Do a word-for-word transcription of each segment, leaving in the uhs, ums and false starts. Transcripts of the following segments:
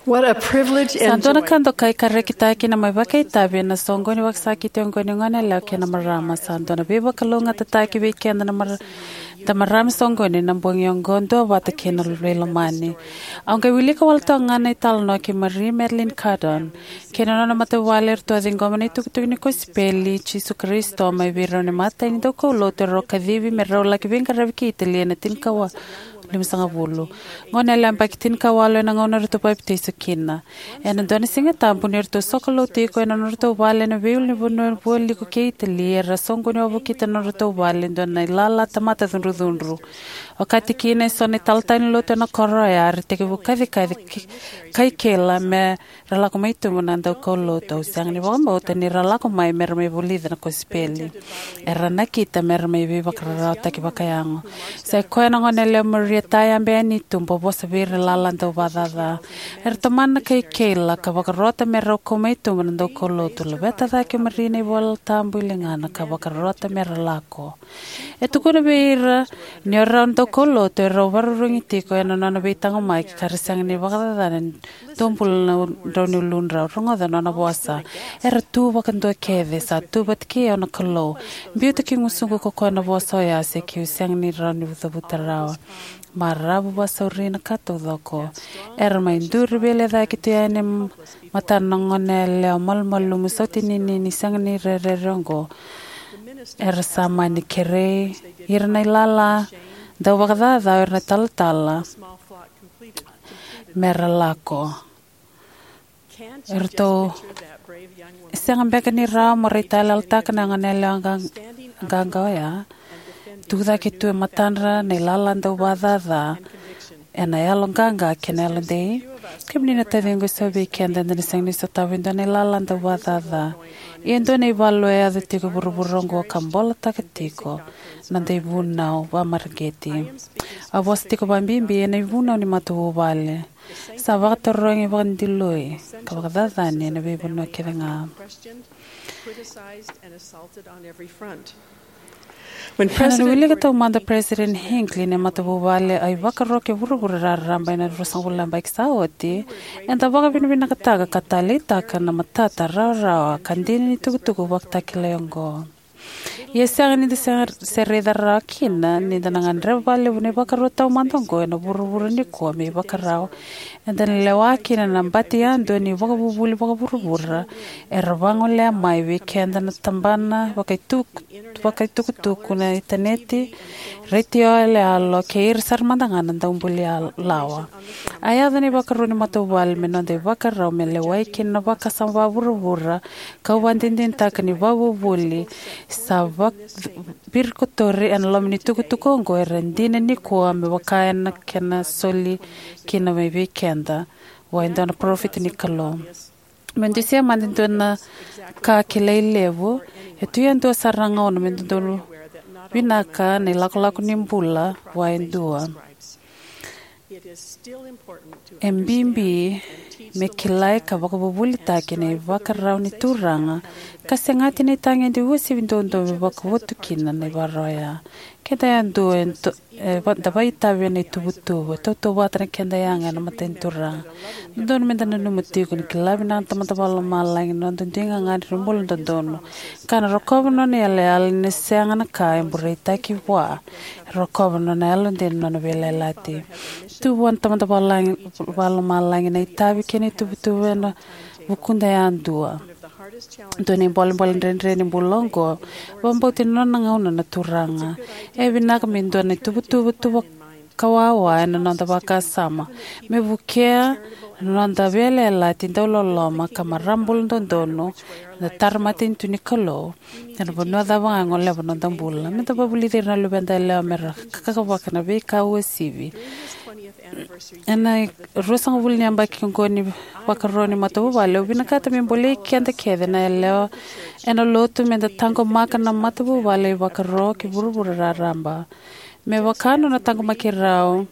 What a privilege Sa and dua na joy. Ka dokai ka rekitaki na mai vakaitavi ena soqoni vakasakiti oqo ni goneyalewa kei na marama. Sa dua na veivakalougatataki vei keda na mar da marama soqoni na bogi oqo duavata kei na veilomani. Au qai wilika wale toka ga na italanoa kei Marie Madeline Cardon kei na nona matavuvale eratou a ciqoma na itukutuku ni kosipeli i Jisu Karisito mai vei rau na imatai ni daukaulotu erau kacivi me rau laki veiqaravi ki Itali ena tinikawalu limasagavulu. Goneyalewa yabaki tinikawalu ena gauna eratou papitaiso kina. Ena dua na Siga Tabu ni ratou sokalou tiko ena nodratou vale ena veiulunivanua vualiku kei Itali, era soqoni wavokita na nodratou vale e dua na ilala tamata cudrucudru. Okati kina eso na italatala ni lotu ena koro oya, era tekivu kacikaci ki- kai keila me ra lako mai tubu na daukaulotu. Au sega ni vakabauta ni ra lako mai me ra mai vulica na kosipeli. Era nakita me ra mai veivakararawataki vakayago. Sa i koya na goneyalewa Maria Tayabe yani tubu a vosa vei ira na ilala dauvakacaca. Era tomana na kai keila ka vakarota me rau kau mai tubu na daukaulotu. Laveta cake o Maria na iVola Tabu i ligana ka vakarota me ra lako. E tukuna vei ira ni o rau na daukaulotu erau vakarurugi tiko ena nona veitaqomaki ka ra sega ni vakacacana e dua bula na drau ni uludrau. Rogoca na nona vosa. Era tu vakadua kece, sa tu vata kei au na Kalou. Biuta ki gusuqu ko koya na vosa oya se keu sega ni rawa ni cavuta rawa. Maravu vakasauri na ka taucoko. Era mai duri veilecayaki tu yani e matana na goneyalewa malumalumu sautinini ni sega ni rerere oqo. Era sa mani kerei ira na ilala dauvakacaca o ira na talatala me ra lako. Eratou sega beka ni rawa mo raitayaloyalotaka na goneyalewa qa- qaqa oya. Tucake tu e matadra na ilala dauvakacaca ena yaloqaqa kei na yalodei. Kemuni na taciqu, eso vei keda eda na sega ni sotava e dua na ilala dauvakacaca. Ia e dua na ivalu e yaco tiko e vuravura oqo ka bolataka tiko na noda ivunau vakamareqeti. A vosa tiko vakabibi ena ivunau ni matavuvale. Sa vakatarogi, vakadiloi ka vakacacani ena veivanua kece ga. Ena nona wilika taumada o President Hinckley na matavuvale a ivakaro kei vuravura raraba ena ruasagavulu na yabaki sa oti, eda vakavinavinakataka ka taleitaka na matata rawarawa ka dina ni tukutuku vakatakilai oqo. Ia e sega ni da se- se raica rawa kina ni da na gadreva vakalevu na ivakaro taumada oqo ena vuravura nikua me ivakarau. Eda na lewa kina na bati yadua ni vakavuvuli vakavuravura era vagolea mai vei keda na tabana vakaituku- vakaitukutuku, na initaneti, retio yaloyalo kei ira sara mada ga na daubuli yal- lawa. A yaco na ivakaro ni matavuvale me noda ivakarau me lewai kina na vakasama vakavuravura, kau vakadinadinataka ni vakavuvuli sa vak- virikotori ena loma ni tukutuku oqo era dina nikua me vaka ena kena soli kina mai vei keda vua e dua na parofita ni Kalou. Me dusia mada e dua na ka kilai levu, e tu yadua sara na gauna me dodonu vinaka na ilakolako ni bula vua e dua. E bibi me kilai ka vakavuvulitaki na ivakarau ni Turaga ka segati na itagede uasivi duadua me vakavotu kina na ivakarau oya. Keda yadua e to- e va- da vakaitavi ena ituvatuva, tautauvata na keda yaga ena mata ni Turaga. Dodonu meda nanuma tiko ni kila vinaka na Tamada Vakalomalagi na noda dui gagadre ni bula dodonu ka na rokova na nona yalayala ni na sega na ka e bureitaki vua. E rokova na nona yalodei na nona veiyalayalati. Tu vua na Tamada Vakalomalagi na itavi kei na ituvatuva ena vukuda yadua. Dua na ibolebole dredre ni bula oqo, vakabauti na nona gauna na Turaga. E vinaka me dua na ituvatuva tu vakawawa ena noda vakasama me vukea na noda veiyalayalati dauloloma ka marama bula dodonu na tara matanitu ni Kalou ena vanua cava ga e goleva na noda bula. Meda vakavulici ira na luveda yalewa me ra kakavaka na veika uasivi. Ena ruasagavulu ni yabaki oqo ni vakaro ni matavuvale, au vinakata me bolei keda kece na yalewa ena lotu meda taqomaka na matavuvale ivakaro ki vuravura raraba. Me vaka nona taqomaki rau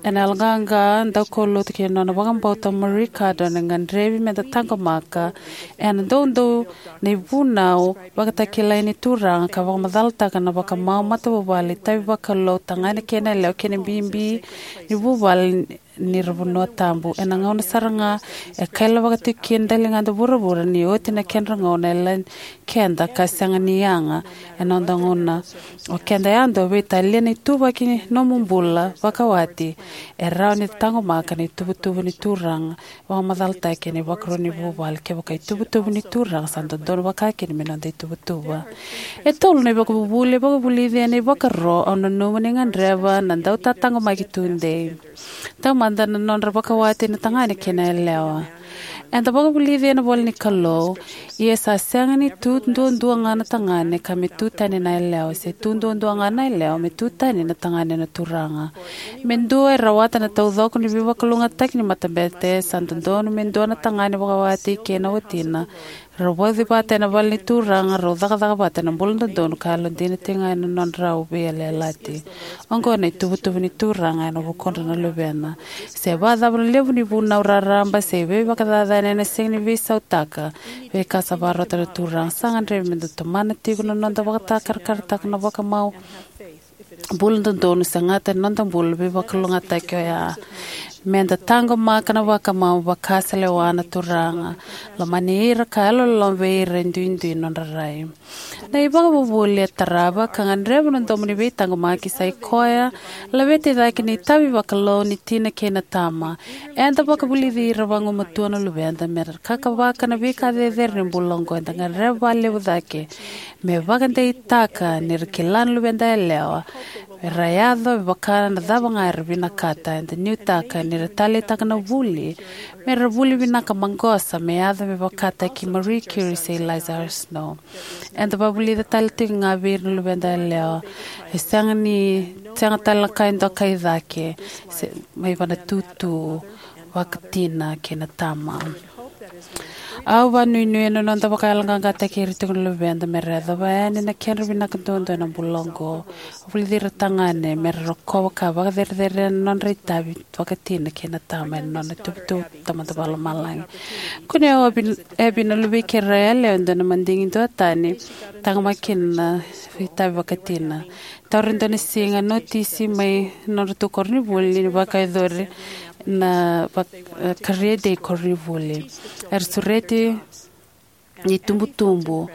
ena yaloqaqa, daukaulotu kei na nona vakabauta o Marie Cardon, e gadrevi meda taqomaka ena doudou na ivunau vakatakilai ni Turaga ka vakamacalataka na vakamau matavuvale, itavi vakalou, tagane kei na yalewa kei na bibi ni vuvale ni ra vanua tabu. Ena gauna sara ga e kailavaka tiko kina e daligada vuravura ni oti na kedra gauna e lai keda ka sega ni yaga e noda gauna. O keda yadua veitalia na ituvaki ni nomu bula vakawati e rawa ni taqomaka na ituvatuva ni Turaga, vakamacalataki ena ivakarau ni vuvale. Kevaka ituvatuva ni Turaga sa dodonu vakakina me noda ituvatuva. E tolu na ivakavuvuli e vakavulici ena ivakaro au nanuma ni gadreva na dautataqomaki tudei. Taumada na nodra vakawati na tagane kei na yalewa. Eda vakavulici ena ivola ni Kalou, ia sa sega ni tu duadua ga na tagane ka me tu tani na yalewa, se tu duadua ga na yalewa me tu tani na tagane na Turaga. Me dua e rawata na taucoko ni veivakalougatataki ni matabete, sa dodonu me dua na tagane vakawati kei na watina, rau vauci vata ena vale ni Turaga, rau cakacaka vata ena bula dodonu ka yalodina tiko ga ena nodrau veiyalayalati. Oqo na ituvatuva ni Turaga ena vukudra na luvena. Se vakacava na levu ni vunau raraba se veivakacacani ena sega ni veisautaka veika sa vakarota na Turaga. Sa gadrevi meda tomana tiko na noda vakatakarakarataka na vakamau bula dodonu, segata ena noda bula veivakalougatataki oya. Meda taqomaka na vakamau, vaka sa lewa na Turaga, lomani ira ka yalololoma vei ira e duidui na nodra rai. Na ivakavuvuli e tarava ka gadreva na domo ni veitaqomaki sa i koya, laveti cake na itavi vakalou ni tina kei na tama. Eda vakavulici ira vagumatua na luveda mera kakavaka na veika cecere ni bula oqo. Eda gadreva vakalevu cake me vakadeitaka ni ra kila na luveda yalewa, me ra yaco me vaka na cava ga era vinakata. Eda nuitaka ni ra taleitaka na vuli me ra vuli vinaka maqosa, me yaco me vakataki Marie Curie se Eliza R. Snow. Eda vakavulica tale tiko ga vei ira na luveda yalewa, e sega ni, sega tale na ka e dokai cake se mai vana tutu vakatina kei na tama. Au vakanuinui ena noda vakayaloqaqataki ira tiko na luveda mera yacova yani na kedra vinaka duadua ena bula oqo. Vulici ira tagane mera rokova ka vakacerecerei na nodra itavi vakatina kei na tama ena nona ituvatuva Tamada Vakalomalagi. Kunei au Abby, Abby na luvei keirau yalewa e dua na madigi duatani, taqomaka kina na itavi vakatina. Taura e dua na siga notisi mai nodratou koronivuli ni vakayacori na vak-, eh, Career Day koronivuli. Era sureti na itubutubu.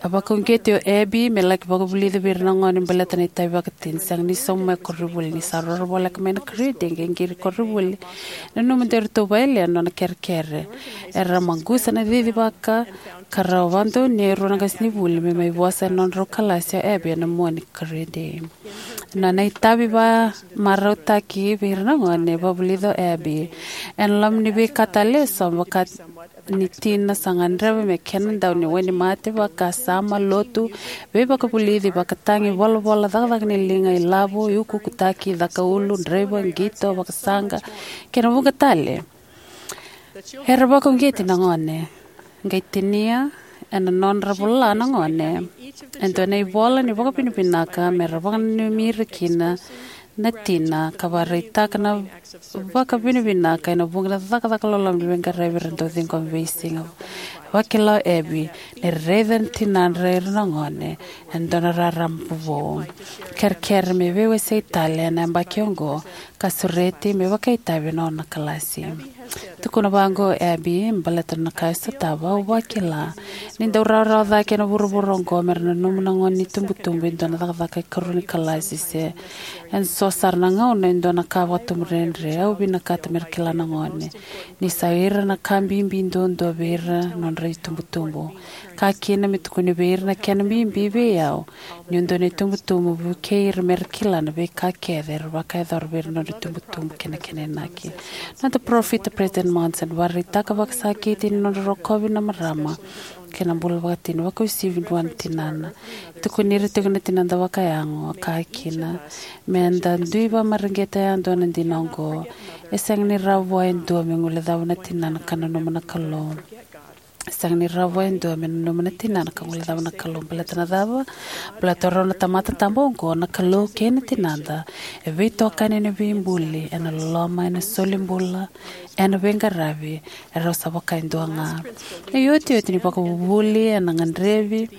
A vakauqeti o Abby me laki vakavulici vei ira na gone baleta na itavi vakatina. Sega ni sauma mai koronivuli. Ni sa roro voleka mai na Career Day, qai qiri koronivuli. Nanuma de ratou vakayalia na nona kerekere. Era maqusa na cicivaka ka ra vakadonui e rua na qasenivuli me mai vosa ena nodrau kalasi o Abby ena mua ni Career Day. Na nona itavi vakamarautaki vei ira na gone e vakavulica o Abby. Ena loma ni veika tale eso, vaka ni tina, sa gadreva me kena dau ni wainimate, vakasama, lotu, veivakavulici, vakatagi, volavola, cakacaka ni liga, ilavo, iukuukutaki, cakaulu, draiva, qito, vakasaqa, kei na vuqa tale. Era vakauqeti na gone, qai tinia ena nodra vola na gone e dua na ivola ni vakavinavinaka mera vakananumi ira kina na tina, ka vakaraitaka na vakavinavinaka ena vuqa na cakacaka loloma ni veiqaravi era dau ciqoma veisiga. Vakila o Abby ni raica na tinadra ira na gone e dua na rarama vovou. Kerekere me veiwasei tale ena yabaki oqo, ka sureti me vakaitavi ena nona kalasi. Tukuna vaqo o Abby baleta na ka e sotava: Au vakila ni dau rawarawa cake ena vuravura oqo mera nanuma na gone ni tubutubu e dua na cakacaka ikarua ni kalasi, se ena so sara na gauna e dua na ka vakatubu dredre. Au vinakata mera kila na gone ni sa ira na ka bibi duadua vei ira na nodra itubutubu. Ka kina me tukuni vei ira na kena bibi vei au niu dua na itubutubu, vukei ira mera kila na veika kece era vakayacora vei ira na nodra itubutubu kei na kena inaki. Noda parofita President Monson vakaraitaka vakasakiti ni nodra rokovi na marama kei na bula vakatina, vakauasivi vua na tinana. Tukuni ira tiko na tinada vakayago, a kaya kina: Meda dui vakamareqeta yadua na dina oqo. E sega ni rawa vua e dua me guilecava na tinana ka nanuma na Kalou. Sega ni rawa e dua me nanuma na tinana ka guilecava na Kalou. Baleta na cava? Baleta rau na tamata tabu oqo, na Kalou kei na tinada, e veitokani ena veibuli, ena loloma, ena solibula, ena veiqaravi, e rau sa vaka e dua ga. E iotioti ni vakavuvuli, ena gadrevi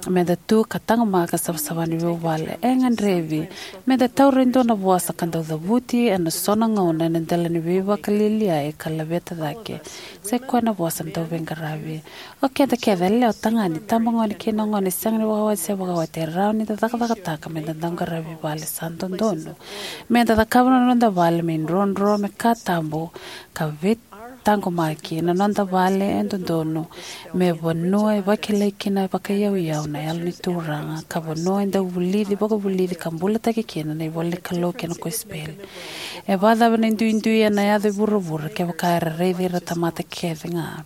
meda tu ka taqomaka savasava ni vuvale. E gadrevi meda taura e dua na vosa ka dau cavuti ena so na gauna ena dela ni veivakalialiai ka laveta cake. Sai koya na vosa dau veiqaravi. O keda kece, yalewa, tagane, tabagone kei na gone, sega ni vakawati se vakawati, e rawa ni da cakacakataka meda dau qaravi vale. Sa dodonu meda cakava na noda vale me idrodro, me ka tabu, ka veitaqomaki. Na noda vale e dodonu me vanua e vakilai kina vakaiyauyau na Yalo ni Turaga, ka vanua e dau vulici, vakavulici ka bulataki kina na ivola ni Kalou kei na kosipeli. E vakacava na duidui ena yaco e vuravura kevaka era raici ira na tamata kece ga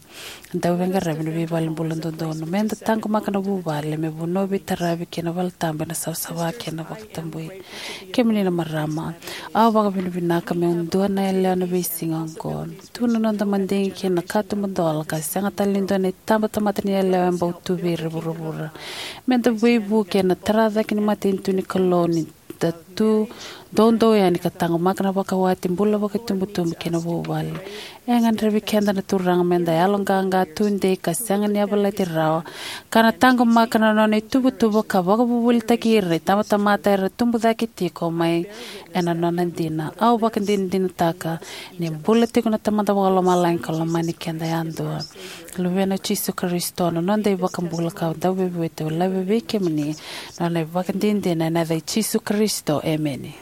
dau veiqaravi ena veivale bula dodonu? Meda taqomaka na vuvale me vanua veitaravi kei na valetabu ena savasava kei na vakatabui. Kemuni na marama, au vakavinavinaka meu dua na yalewa ena veisiga oqo. Tu na noda madigi kei na katuba dola, ka sega tale ni dua na itabatamata ni yalewa e bau tu vei ira e vuravura. Meda veivuke ena tara cake ni matanitu ni Kalou ni da tu doudou yani ka taqomaka na vakawati, bula vakaitubutubu kei na vuvale. E gadrevi keda na Turaga meda yaloqaqa, tudei, ka sega ni yavalati rawa, ka na taqomaka na nona ituvatuva ka vakavuvulitaki ira na itabatamata era tubu cake tiko mai ena nona dina. Au vakadinadinataka ni bula tiko na Tamada Vakalomalagi ka lomani keda yadua. Luvena o Jisu Karisito, na noda iVakabula ka Dauveivueti, au laiva vei kemuni na nona ivakadinadina ena yaca i Jisu Karisito, emeni.